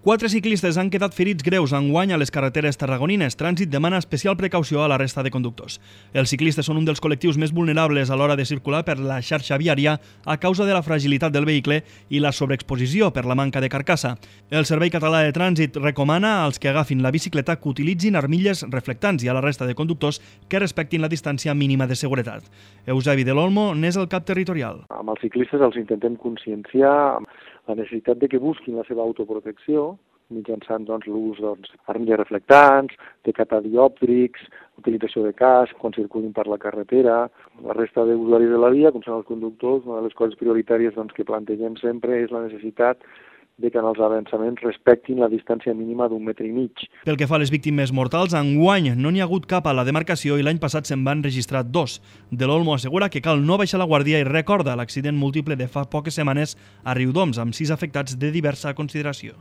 4 ciclistes han quedat ferits greus enguany a les carreteres tarragonines. Trànsit demana especial precaució a la resta de conductors. Els ciclistes són un dels col·lectius més vulnerables a l'hora de circular per la xarxa viària a causa de la fragilitat del vehicle i la sobreexposició per la manca de carcassa. El Servei Català de Trànsit recomana als que agafin la bicicleta que utilitzin armilles reflectants i a la resta de conductors que respectin la distància mínima de seguretat. Eusebi de l'Olmo n'és el cap territorial. Amb els ciclistes els intentem conscienciar la necessitat de que busquin la seva autoprotecció mitjançant l'ús d'armilles reflectants, de catadiòptrics, utilització de casc quan circulin per la carretera. La resta d'usuaris de la via, com són els conductors, una de les coses prioritàries que plantegem sempre és la necessitat de que en els avançaments respectin la distància mínima d'1,5 metres. Pel que fa a les víctimes mortals, enguany no n'hi ha hagut cap a la demarcació i l'any passat se'n van registrar 2. De l'Olmo assegura que cal no baixar la guàrdia i recorda l'accident múltiple de fa poques setmanes a Riudoms, amb 6 afectats de diversa consideració.